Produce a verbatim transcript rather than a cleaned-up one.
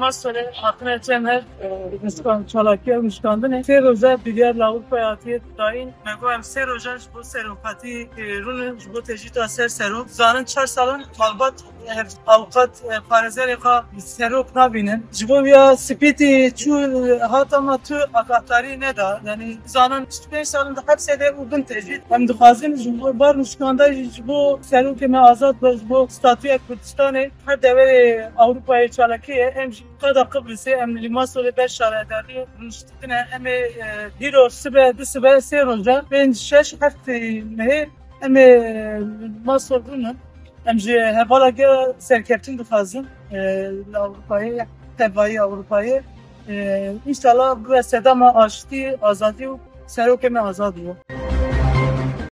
Masolê hatine çem her nişkan, çalakiya nişkandinê. Sê roja biryar li Ewropayê hatiye dayîn. Me got em sê roja ji bo serokatî, e, rûnin, ji bo tecrîda ser serok. Zanin çar salan malbat, e, avukat, e, parêzerê xwe serok nabînin. Ji bo ya spîtî çû, e, hat ama tu agahdarî neda. Yanî zanin çil pênc salin di hepsê de û bin tecrîd. Em dixwazin ji bo bar nişkanda jî ji bo serokê me azad be, ji bo statûya Kurdistanê. Her deverê Ewropayê çalakî ye. Em jî qada Qibrisê, em li Masolê ber şaredarî rûniştine. Em ê, e, dîro sibe, du sibe, sê roja, pênc, şeş, heft mehê em ê, e, Masol rûnin. Em ji hevala gera serkeftin dixwazin, e, li Ewropayê, tevayî Ewropayê. E, înşallah bibe sedema aştî, azadî û serokê me azad bû.